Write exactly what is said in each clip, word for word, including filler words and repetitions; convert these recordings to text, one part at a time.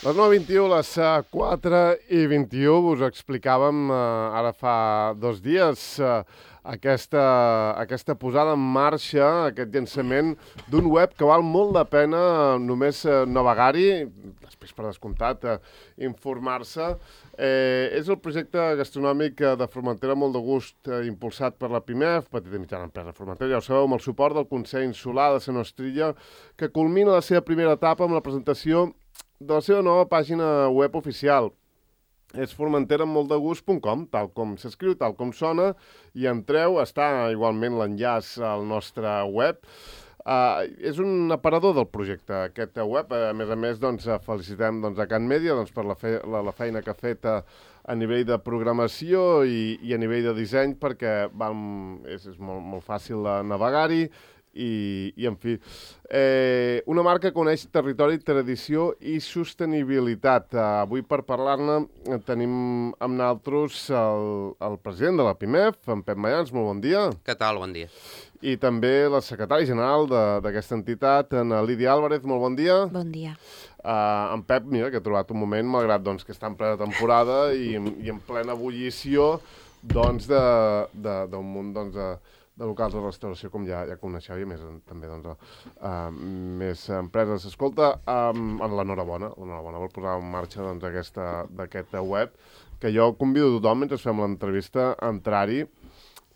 Les nou i vint-i-u, les quatre i vint-i-u, us explicàvem eh, ara fa dos dies eh, aquesta, aquesta posada en marxa, aquest llançament d'un web que val molt la pena només eh, navegar-hi, després per descomptat eh, informar-se. Eh, és el projecte gastronòmic eh, de Formentera molt de gust, eh, impulsat per la PIMEF, Petita i Mitjana Empresa Formentera, ja ho sabeu, amb el suport del Consell Insular de Sant Ostrilla, que culmina la seva primera etapa amb la presentació de la seva nova pàgina web oficial. És formentera amb molt de gust punt com, tal com s'escriu, tal com sona, i entreu, està igualment l'enllaç al nostre web. Uh, és un aparador del projecte, aquest web. A més a més, doncs, felicitem doncs, a Can Mèdia doncs, per la, fe la, la feina que ha fet a, a nivell de programació i, i a nivell de disseny, perquè vam, és, és molt, molt fàcil navegar-hi. I, i en fi, eh, una marca que coneix territori, tradició i sostenibilitat. Uh, avui per parlar-ne tenim amb nosaltres el, el president de la PIMEF, en Pep Mayans, molt bon dia. Què tal? Bon dia. I també la secretària general d'aquesta entitat, en Lídia Álvarez, molt bon dia. Bon dia. Uh, en Pep, mira, que ha trobat un moment, malgrat doncs, que està en plena temporada i, i en plena ebullició doncs, d'un munt doncs, de, de locals de restauració, com ja, ja coneixeu, i més, també doncs, uh, més empreses. Escolta, um, l'enhorabona, l'enhorabona per posar en marxa doncs, aquesta, d'aquest web, que jo convido a tothom, mentre fem l'entrevista, a entrar-hi,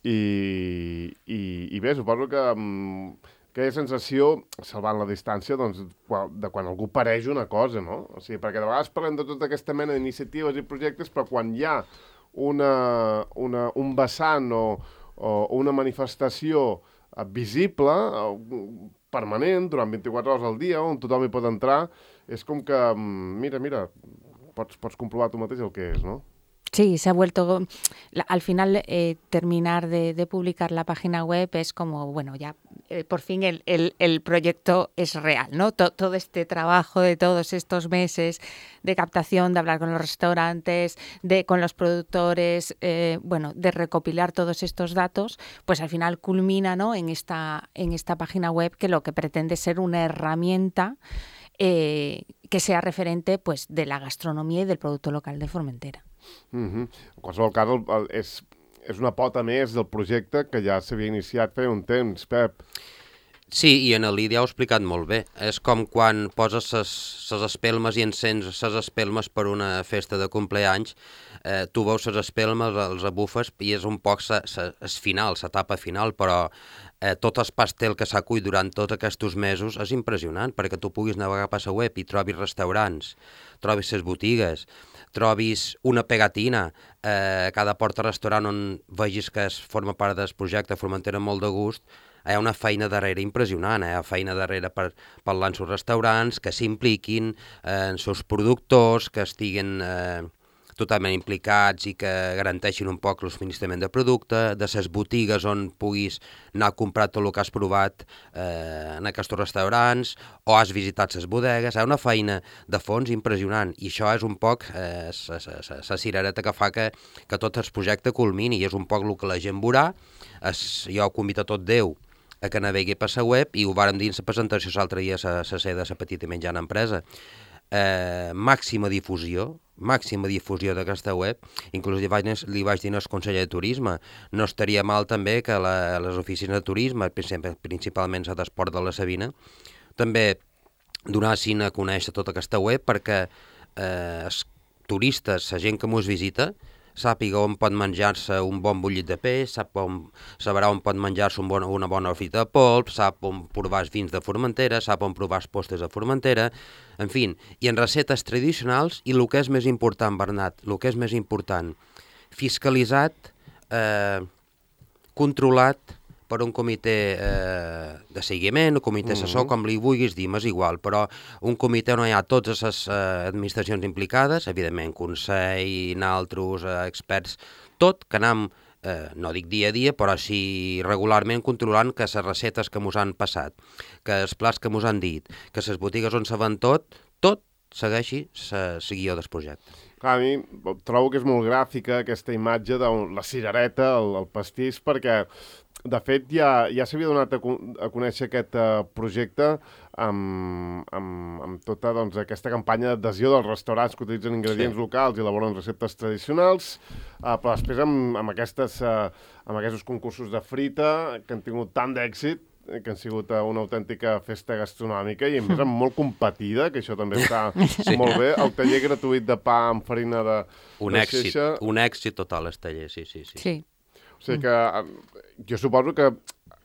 i, i, i bé, suposo que um, aquella sensació, salvant la distància, doncs, de quan algú pareix una cosa, no? O sigui, perquè de vegades parlem de tota aquesta mena d'iniciatives i projectes, però quan hi ha una, una, un vessant o o una manifestació visible, permanent, durant vint-i-quatre hores al dia, on tothom hi pot entrar, és com que, mira, mira, pots, pots comprovar tu mateix el que és, no? Sí, se ha vuelto, al final eh, terminar de, de publicar la página web es como, bueno, ya eh, por fin el, el, el proyecto es real, ¿no? Todo, todo este trabajo de todos estos meses de captación, de hablar con los restaurantes, de con los productores, eh, bueno, de recopilar todos estos datos, pues al final culmina, ¿no? en esta, en esta página web que lo que pretende ser una herramienta eh, que sea referente pues, de la gastronomía y del producto local de Formentera. Mm-hmm. En qualsevol cas, el, el, és, és una pota més del projecte que ja s'havia iniciat feia un temps, Pep. Sí, i en el Lídia ho ha explicat molt bé. És com quan poses ses espelmes i encens ses espelmes per una festa de compleanys, eh, tu veus ses espelmes, els abufes, i és un poc es final, l'etapa final, però eh, tot el pastel que s'ha cuit durant tots aquests mesos és impressionant, perquè tu puguis navegar per la web i trobis restaurants, trobis ses botigues, trobis una pegatina eh, a cada porta-restaurant on vegis que es forma part del projecte Formentera molt de gust. Hi ha una feina darrere impressionant, hi ha feina darrere per parlar amb els restaurants, que s'impliquin eh, en els seus productors, que estiguin eh, totalment implicats i que garanteixin un poc el subministrament de producte, de les botigues on puguis anar a comprar tot el que has provat eh, en aquests restaurants, o has visitat les bodegues. Hi ha una feina de fons impressionant, i això és un poc eh, la cirereta que fa que, que tot el projecte culmini, i és un poc el que la gent veurà. Es, jo convido a tot Déu a que navegui per la web, i ho vàrem dir en la presentació l'altre dia a la sede de la Petita i Mitjana Empresa. Eh, màxima difusió, màxima difusió d'aquesta web. Inclús li vaig, li vaig dir al conseller de Turisme, no estaria mal també que la, les oficines de turisme, principalment la d'Esport de la Sabina, també donassin a conèixer tota aquesta web, perquè eh, els turistes, la gent que mos visita, sàpiga on pot menjar-se un bon bullit de peix, sap on, sabrà on pot menjar-se un bon, una bona frita de polp, sap on provar els vins de Formentera, sap on provar els postres de Formentera, en fi, i en receptes tradicionals, i el que és més important, Bernat, el que és més important, fiscalitzat, eh, controlat per un comitè eh, de seguiment, un comitè assessor, mm-hmm. com li vulguis dir, m'és igual, però un comitè on hi ha totes les eh, administracions implicades, evidentment, Consell, naltros, eh, experts, tot, que anem, eh, no dic dia a dia, però sí regularment controlant que les recetes que mos han passat, que els plats que mos han dit, que les botigues on se ven tot, tot segueixi la guió del projecte. Clar, a mi trobo que és molt gràfica aquesta imatge de la cirereta, el, el pastís, perquè de fet ja, ja s'havia donat a, a conèixer aquest uh, projecte amb, amb, amb tota doncs, aquesta campanya d'adhesió dels restaurants que utilitzen ingredients sí. locals i elaboren receptes tradicionals, uh, però després amb, amb, aquestes, uh, amb aquests concursos de frita que han tingut tant d'èxit, que han sigut una autèntica festa gastronòmica i a més molt competida, que això també està sí. molt bé. El taller gratuït de pa amb farina de, un de èxit, xeixa. Un èxit total, el taller, sí, sí, sí. sí. O sigui que jo suposo que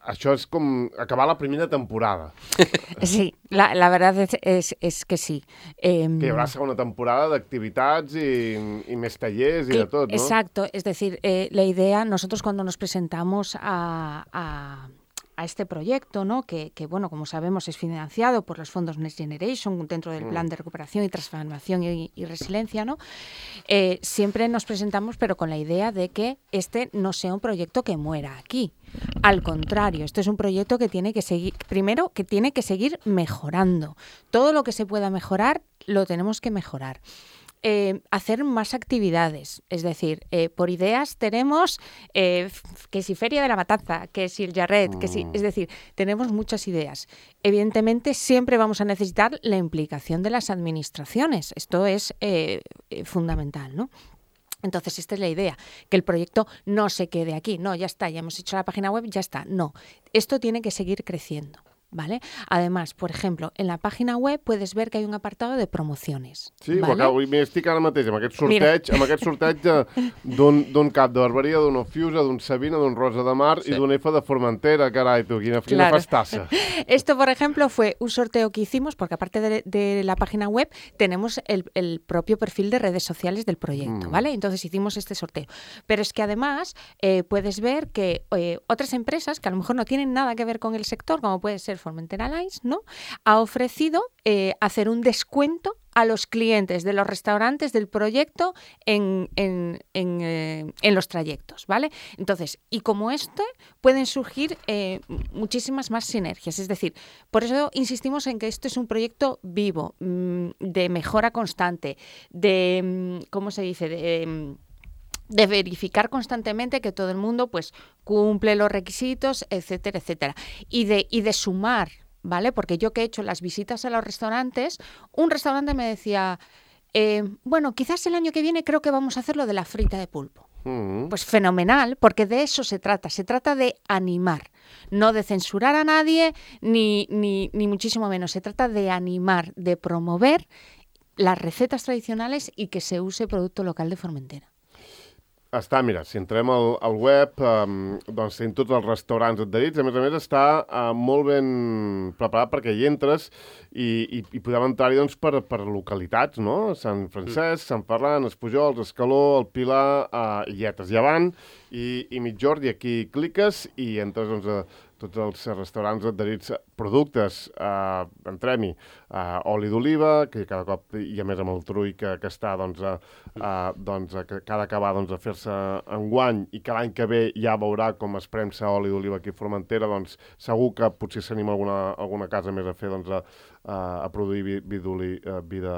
això és com acabar la primera temporada. Sí, la, la verdad es, es, es que sí. Eh, que hi haurà segona temporada d'activitats i, i més tallers i que, de tot, ¿no? Exacto, es decir, eh, la idea, nosotros cuando nos presentamos a... a a este proyecto, ¿no? Que, que, bueno, como sabemos, es financiado por los fondos Next Generation dentro del Plan de Recuperación y Transformación y, y Resiliencia, ¿no? Eh, siempre nos presentamos, pero con la idea de que este no sea un proyecto que muera aquí. Al contrario, esto es un proyecto que tiene que seguir, primero, que tiene que seguir mejorando. Todo lo que se pueda mejorar, lo tenemos que mejorar. Eh, hacer más actividades, es decir, eh, por ideas tenemos eh, que si Feria de la Matanza, que si el Jarret, que si, es decir, tenemos muchas ideas. Evidentemente siempre vamos a necesitar la implicación de las administraciones, esto es eh, eh, fundamental, ¿no? Entonces, esta es la idea, que el proyecto no se quede aquí, no, ya está, ya hemos hecho la página web, ya está, no, esto tiene que seguir creciendo. ¿Vale? Además, por ejemplo, en la página web puedes ver que hay un apartado de promociones. Sí, ¿vale? Acabo, estic ara mateix amb aquest sorteig, amb aquest sorteig d'un cap de Barberia, d'un Ofiusa, d'un Sabina, d'un Rosa de Mar sí. i d'un F de Formentera, carai, tu, quina, quina claro. festassa. Esto, por ejemplo, fue un sorteo que hicimos, porque aparte de, de la página web, tenemos el, el propio perfil de redes sociales del proyecto, mm. ¿vale? Entonces hicimos este sorteo. Pero es que además eh, puedes ver que eh, otras empresas, que a lo mejor no tienen nada que ver con el sector, como puede ser Formentera Lines, ¿no? Ha ofrecido eh, hacer un descuento a los clientes de los restaurantes del proyecto en, en, en, eh, en los trayectos, ¿vale? Entonces, y como este, pueden surgir eh, muchísimas más sinergias. Es decir, por eso insistimos en que esto es un proyecto vivo, mmm, de mejora constante, de, ¿cómo se dice?, de... de verificar constantemente que todo el mundo pues cumple los requisitos, etcétera, etcétera. Y de, y de sumar, ¿vale? Porque yo que he hecho las visitas a los restaurantes, un restaurante me decía, eh, bueno, quizás el año que viene creo que vamos a hacer lo de la frita de pulpo. Mm. Pues fenomenal, porque de eso se trata, se trata de animar, no de censurar a nadie, ni, ni, ni muchísimo menos, se trata de animar, de promover las recetas tradicionales y que se use producto local de Formentera. Està, mira, si entrem al, al web, um, doncs tenim tots els restaurants adherits. A més a més, està uh, molt ben preparat perquè hi entres i, i, i podem entrar-hi doncs, per, per localitats, no? Sant Francesc, Sant Ferran, Espujols, Escaló, el Pilar, uh, Illetes, Llevant i, i Mitjord, i aquí cliques i entres doncs, a tots els restaurants adherits, productes, eh, entrem-hi, eh, oli d'oliva, que cada cop, i a més amb el trull que, que està, doncs, eh, eh, doncs, que, que ha d'acabar doncs, a fer-se enguany i que l'any que ve ja veurà com es premsa oli d'oliva aquí a Formentera, doncs segur que potser s'anima alguna, alguna casa més a fer, doncs, a, a produir vi, vi d'oli, vi de,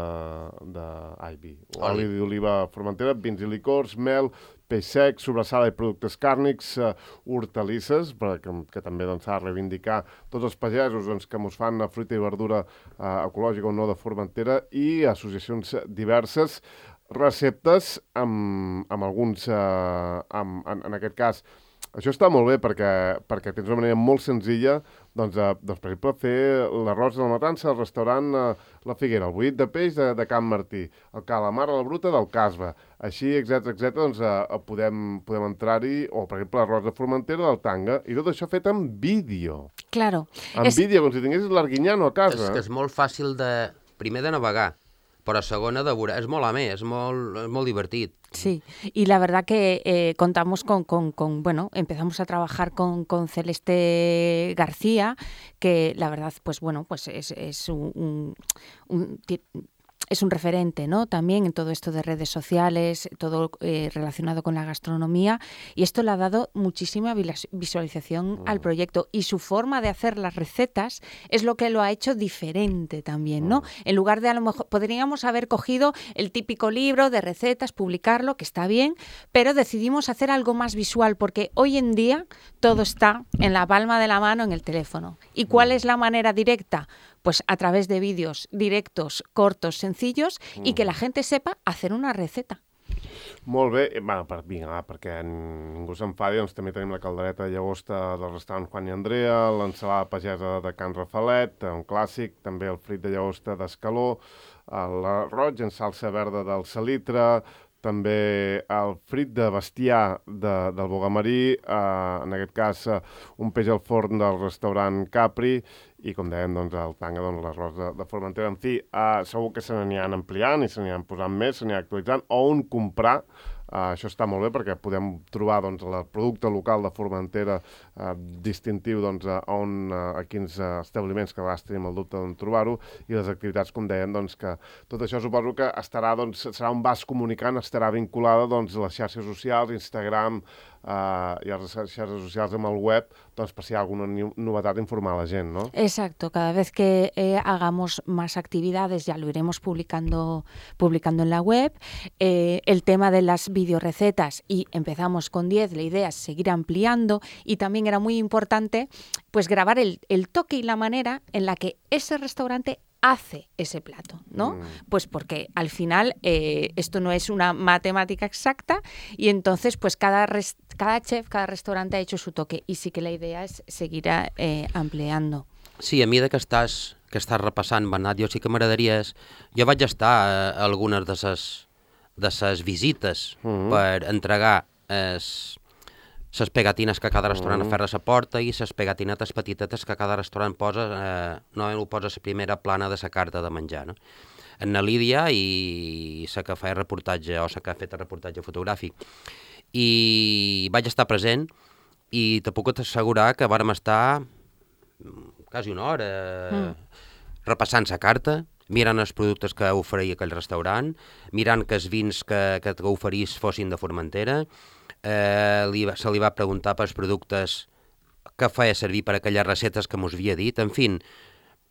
de... Ai, vi. Oli d'oliva a Formentera, vins i licors, mel, peix sec, sobrassada i productes càrnics, uh, hortalisses, que, que també doncs, s'ha de reivindicar tots els pagesos doncs, que mos fan fruita i verdura uh, ecològica o no de Formentera, i associacions diverses, receptes amb, amb alguns, uh, amb, en, en aquest cas, això està molt bé perquè, perquè tens una manera molt senzilla doncs, eh, doncs, per exemple, fer l'arròs de la matança al restaurant eh, La Figuera, el bullit de peix de, de Can Martí, el calamar a la bruta del Casba, així, etcètera, etcètera, doncs eh, podem, podem entrar-hi, o per exemple l'arròs de Formentera del Tanga, i tot això fet en vídeo. Claro. En es... vídeo, com si tinguessis l'Arguinyano a casa. És que és molt fàcil de, primer de navegar, però segona de veure, és molt amè, és molt, és molt divertit. Sí, y la verdad que eh, contamos con, con, con, bueno, empezamos a trabajar con, con Celeste García, que la verdad, pues bueno, pues es, es un, un, un es un referente, ¿no? También en todo esto de redes sociales, todo eh, relacionado con la gastronomía, y esto le ha dado muchísima visualización mm. al proyecto, y su forma de hacer las recetas es lo que lo ha hecho diferente también, ¿no? Mm. En lugar de, a lo mejor, podríamos haber cogido el típico libro de recetas, publicarlo, que está bien, pero decidimos hacer algo más visual, porque hoy en día todo está en la palma de la mano en el teléfono. ¿Y cuál es la manera directa? pues a través de vídeos directos, cortos, sencillos, mm. y que la gente sepa hacer una receta. Molt bé. Bueno, per, vinga, va, perquè ningú s'enfadi, doncs també tenim la caldereta de llagosta del restaurant Juan i Andrea, l'ensalada pagesa de Can Rafalet, un clàssic, també el frit de llagosta d'Escaló, l'arroig en salsa verda del Salitre, també el frit de bestiar de, del Bogamarí, eh, en aquest cas eh, un peix al forn del restaurant Capri, i com dèiem, doncs, el tanga, doncs, l'arròs de, de Formentera. En fi, eh, segur que se n'aniran ampliant i se n'aniran posant més, se n'aniran actualitzant, o on comprar. Uh, això està molt bé perquè podem trobar doncs, el producte local de Formentera uh, distintiu doncs, a, on, uh, a quins uh, establiments, que a vegades tenim el dubte d'on trobar-ho, i les activitats, com deien, doncs, que tot això suposo que estarà, doncs, serà un vas comunicant, estarà vinculada doncs, a les xarxes socials, Instagram, Uh, y a las redes sociales en el web, doncs, per si hi ha alguna novetat, informar a la gent, ¿no? Exacto, cada vez que eh, hagamos más actividades ya lo iremos publicando, publicando en la web. Eh, el tema de las videorecetas, y empezamos con diez, la idea es seguir ampliando, y también era muy importante pues grabar el, el toque y la manera en la que ese restaurante hace ese plato, ¿no? Mm. Pues porque al final eh, esto no es una matemática exacta, y entonces pues cada, res, cada chef, cada restaurante ha hecho su toque, y sí que la idea es seguir eh, ampliando. Sí, a mesura que estàs, que estàs repassant, Bernat, jo sí que m'agradaria... Jo vaig estar a algunes de ses, de ses visites mm-hmm. per entregar es, les pegatines que cada restaurant mm. aferra a la porta, i les pegatinetes petitetes que cada restaurant posa, eh, no ho posa a la primera plana de la carta de menjar, no? En la Lídia, i la que feia reportatge, o la que ha fet el reportatge fotogràfic, i vaig estar present, i te puc assegurar que vàrem estar quasi una hora mm. repassant la carta, mirant els productes que oferia aquell restaurant, mirant que els vins que, que oferís fossin de Formentera. Eh, li, se li va preguntar pels productes que feia servir per aquelles recetes que mos havia dit. En fi,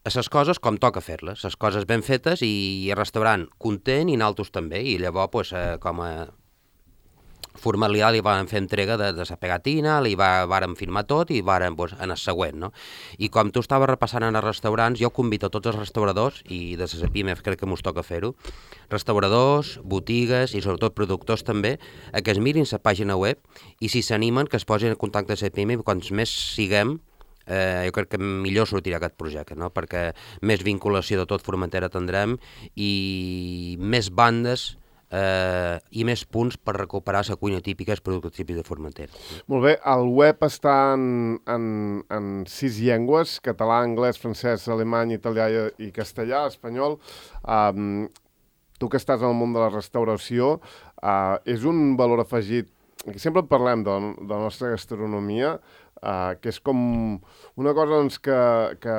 les coses com toca fer-les, les coses ben fetes, i el restaurant content i naltros també, i llavors pues, eh, com a formalitat li vam fer entrega de, de la pegatina, li va, vàrem firmar tot, i vàrem pues, en el següent, no? I com tu estaves repassant en els restaurants, jo convido a tots els restauradors, i de les pimes crec que mos toca fer-ho, restauradors, botigues i sobretot productors també, a que es mirin la pàgina web, i si s'animen que es posin en contacte amb la pime, i quants més siguem, eh, jo crec que millor sortirà aquest projecte, no? Perquè més vinculació de tot Formentera tindrem, i més bandes eh, i més punts per recuperar la cuina típica, els productes típics de Formentera. Molt bé, el web està en, en, en sis llengües, català, anglès, francès, alemany, italià i castellà, espanyol. Um, tu que estàs en el món de la restauració, uh, és un valor afegit, que sempre parlem de, de la nostra gastronomia, uh, que és com una cosa doncs, que, que,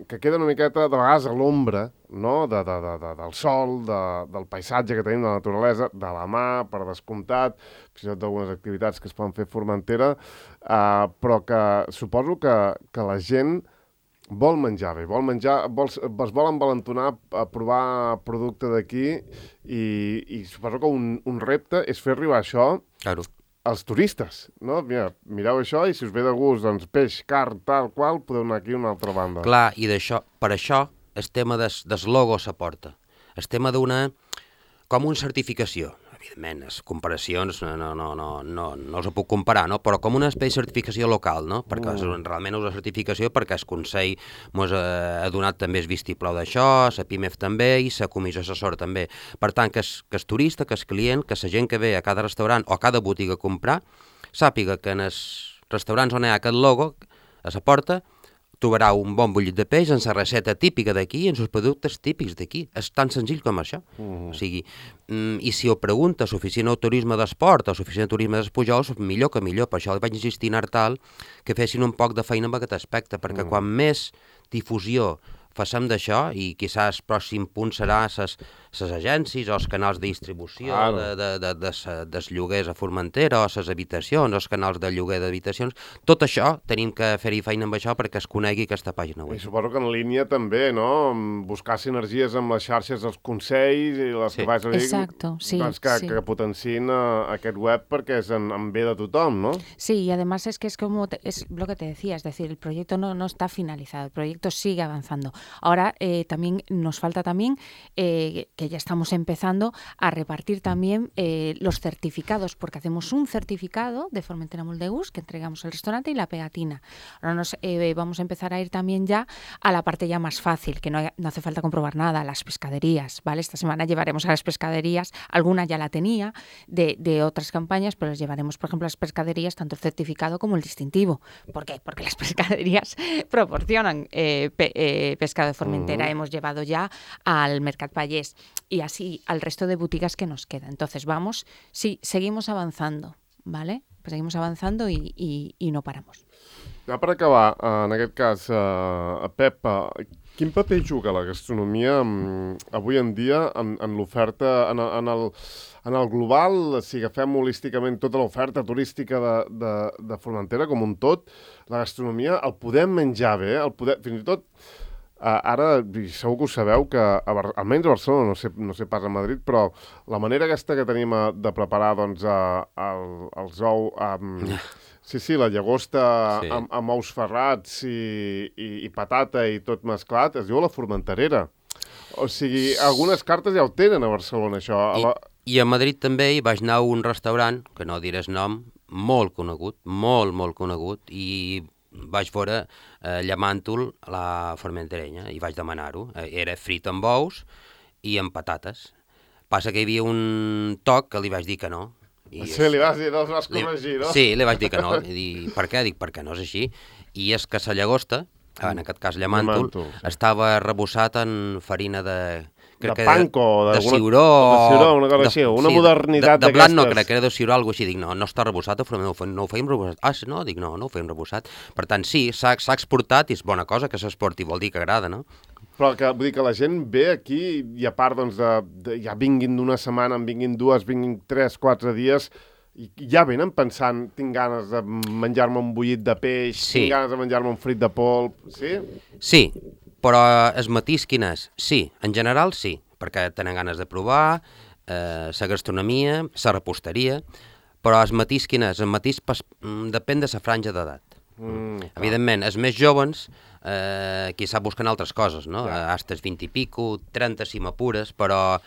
que queda una miqueta de vegades a l'ombra, no? de, de, de, de, del sol, de, del paisatge que tenim, de la naturalesa, de la mà, per descomptat, fins i tot d'algunes activitats que es poden fer a Formentera, uh, però que suposo que, que la gent vol menjar bé, vol menjar, vol, es vol envalentonar a provar producte d'aquí, i, i suposo que un, un repte és fer arribar això claro. als turistes, no? Mira, mireu això, i si us ve de gust, doncs, peix, carn, tal qual, podeu anar aquí a una altra banda. Clar, i d'això, per això, el tema des, des logo s'aporta. El tema d'una, com una certificació. Evidentment, les comparacions no, no, no, no, no, no els puc comparar, no? Però com una espècie de certificació local, no? Perquè mm. realment és una certificació perquè el Consell ens ha, ha donat també el vistiplau d'això, la PIMEF també, i la Comissió Assessora també. Per tant, que el, que el turista, que el client, que la gent que ve a cada restaurant o a cada botiga a comprar, sàpiga que en els restaurants on hi ha aquest logo, a la porta, trobarà un bon bullit de peix en la recepta típica d'aquí i en els productes típics d'aquí. És tan senzill com això. Mm. O sigui, mm, i si ho pregunta l'oficina de turisme d'esport o l'oficina de turisme d'Espujols, millor que millor. Per això li vaig insistir en Artal que fessin un poc de feina amb aquest aspecte, perquè mm. quan més difusió facem d'això, i quizás el pròxim punt serà les agències o els canals de distribució claro. de, de, de, de, de, dels lloguers a Formentera, o les habitacions, o els canals de lloguer d'habitacions. Tot això tenim que fer-hi feina amb això perquè es conegui aquesta pàgina web. I suposo que en línia també, no? Buscar sinergies amb les xarxes dels consells i les sí. que vas a dir, Exacto, sí, doncs que, sí. que potenciïn uh, aquest web perquè és en, en bé de tothom, ¿no? Sí, y además es que es como te, es lo que te decía, es decir, el proyecto no, no está finalizado, el proyecto sigue avanzando. Ahora eh, también nos falta también, eh, que ya estamos empezando a repartir también eh, los certificados, porque hacemos un certificado de Formentera Moldegús que entregamos al restaurante y la pegatina. Ahora nos eh, vamos a empezar a ir también ya a la parte ya más fácil, que no, hay, no hace falta comprobar nada, las pescaderías, ¿vale? Esta semana llevaremos a las pescaderías, alguna ya la tenía de, de otras campañas, pero les llevaremos, por ejemplo, a las pescaderías tanto el certificado como el distintivo. ¿Por qué? Porque las pescaderías proporcionan eh, pe, eh, pescado de Formentera. Uh-huh. Hemos llevado ya al Mercat Vallès y así al resto de boutiques que nos queda. Entonces vamos, sí, seguimos avanzando, ¿vale? Pues seguimos avanzando i, i, i no paramos. Ja per acabar, en aquest cas, uh, Pep, uh, quin paper juga la gastronomia um, avui en dia en, en l'oferta, en, en, el, en el global, si agafem holísticament tota l'oferta turística de, de, de Formentera com un tot, la gastronomia el podem menjar bé, el podem, fins i tot, uh, ara segur que ho sabeu, que a Bar almenys a Barcelona, no sé, no sé pas a Madrid, però la manera aquesta que tenim a, de preparar doncs, a, a, els ous... Um, Sí, sí, la llagosta sí. amb, amb ous ferrats i, i, i patata i tot mesclat, es diu la formenterera. O sigui, algunes cartes ja ho tenen a Barcelona, això. A la... I, I a Madrid també hi vaig anar a un restaurant, que no diràs nom, molt conegut, molt, molt conegut, i vaig veure eh, llamant-ho la formenterenya, i vaig demanar-ho. Era frit amb ous i amb patates. Passa que hi havia un toc que li vaig dir que no. I sí, li vas dir, no els vas corregir, no? Sí, li vaig dir que no. I dir, per què? Dic, perquè no és així. I és que la llagosta, en aquest cas llamàntol, sí. estava rebossat en farina de... De panko, de ciuró... De ciuró, una cosa així, una sí, modernitat d'aquestes. De, de blat no, crec que era de ciuró, alguna cosa així. Dic, no, no està rebossat, no, no ho feim rebossat. Ah, no? Dic, no, no ho feim rebossat. Per tant, sí, s'ha exportat i és bona cosa que s'exporti, vol dir que agrada, no? Però que, vull dir que la gent ve aquí i a part, doncs, de, de, ja vinguin d'una setmana, en vinguin dues, vinguin tres, quatre dies... I ja venen pensant, tinc ganes de menjar-me un bullit de peix, sí. tinc ganes de menjar-me un frit de polp, sí? Sí, però el matís quin és? Sí, en general sí, perquè tenen ganes de provar eh, la gastronomia, la reposteria, però el matís quin és? El matís pas, depèn de la franja d'edat. Mm, Evidentment, els més joves eh, quizà busquen altres coses, no? Ja. Hasta els vint i pico, trenta si m'apures, però...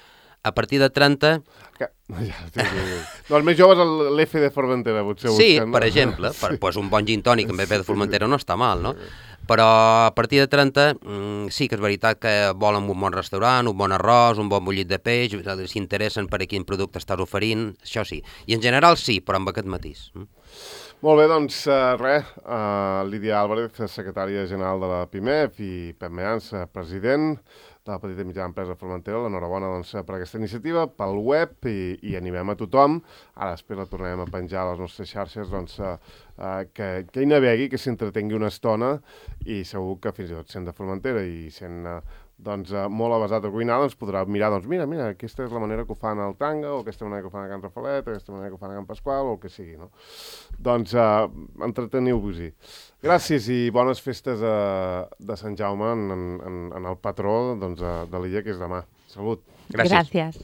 A partir de trenta... Que... Ja, sí, sí, sí. No, els més joves l'F de Formentera, potser sí, busquen. Per exemple, per, sí. pues un bon gin tònic amb F de Formentera no està mal, no? Però a partir de trenta mmm, sí que és veritat que volen un bon restaurant, un bon arròs, un bon bullit de peix, s'interessen per a quin producte estàs oferint, això sí. I en general sí, però amb aquest matís. Molt bé, doncs uh, res, uh, Lídia Álvarez, secretària general de la PIMEF, i Pep Means, president de la petita i mitjana empresa Formentera. L'enhorabona doncs, per aquesta iniciativa, pel web, i, i animem a tothom. Ara després la tornarem a penjar a les nostres xarxes, doncs, uh, uh, que, que hi navegui, que s'entretengui una estona, i segur que fins i tot sent de Formentera i sent uh, doncs, uh, molt avasat a cuinar, doncs podrà mirar, doncs mira, mira, aquesta és la manera que ho fan al Tanga, o aquesta manera que ho fan a Can Rafalet, o aquesta manera que ho fan a Can Pasqual, o el que sigui, no? Doncs uh, entreteniu-vos-hi. Gràcies i bones festes a, de Sant Jaume en, en, en el patró doncs, de l'illa, que és demà. Salut. Gràcies. Gràcies.